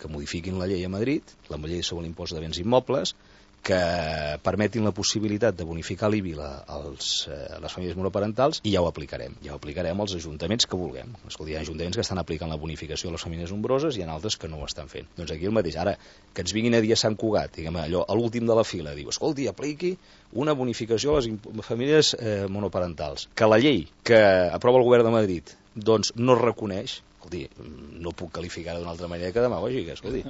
que modifiquin la llei a Madrid, la llei sobre l'impost de béns immobles, que permetin la possibilitat de bonificar l'IBI a les famílies monoparentals, i ja ho aplicarem. Ja ho aplicarem als ajuntaments que vulguem. Escolta, hi ha ajuntaments que estan aplicant la bonificació a les famílies nombroses i hi ha altres que no ho estan fent. Doncs aquí el mateix. Ara, que ens vinguin a dir a Sant Cugat, diguem, allò, a l'últim de la fila, diu, escolti, apliqui una bonificació a les famílies monoparentals, que la llei que aprova el govern de Madrid doncs no reconeix, escolti, no puc qualificar d'una altra manera que demagògica, escolti.